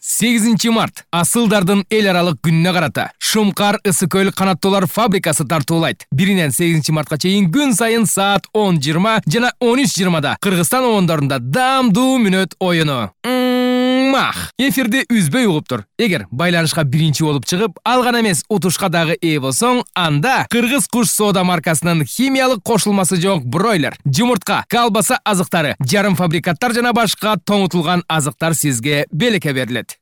8 март асылдардын эл аралык күнүнө карата Шумкар ысык көл канаттуулар фабрикасы тартуулайт. 1-8 мартка чейин күн сайын саат 10:20 жана 13:20 Кыргызстан оондорунда даамдуу мүнөт оюну. Эфирди үзбөй угуп тур. Эгер байланышка биринчи болуп чыгып, ал гана эмес, утушка дагы ээ болсоң, анда Кыргыз куш соода маркасынын химиялык кошулмасы жок бройлер, жумуртка, колбаса азыктары, жарым фабрикаттар жана башка тоңутулган азыктар сизге белекке берилет.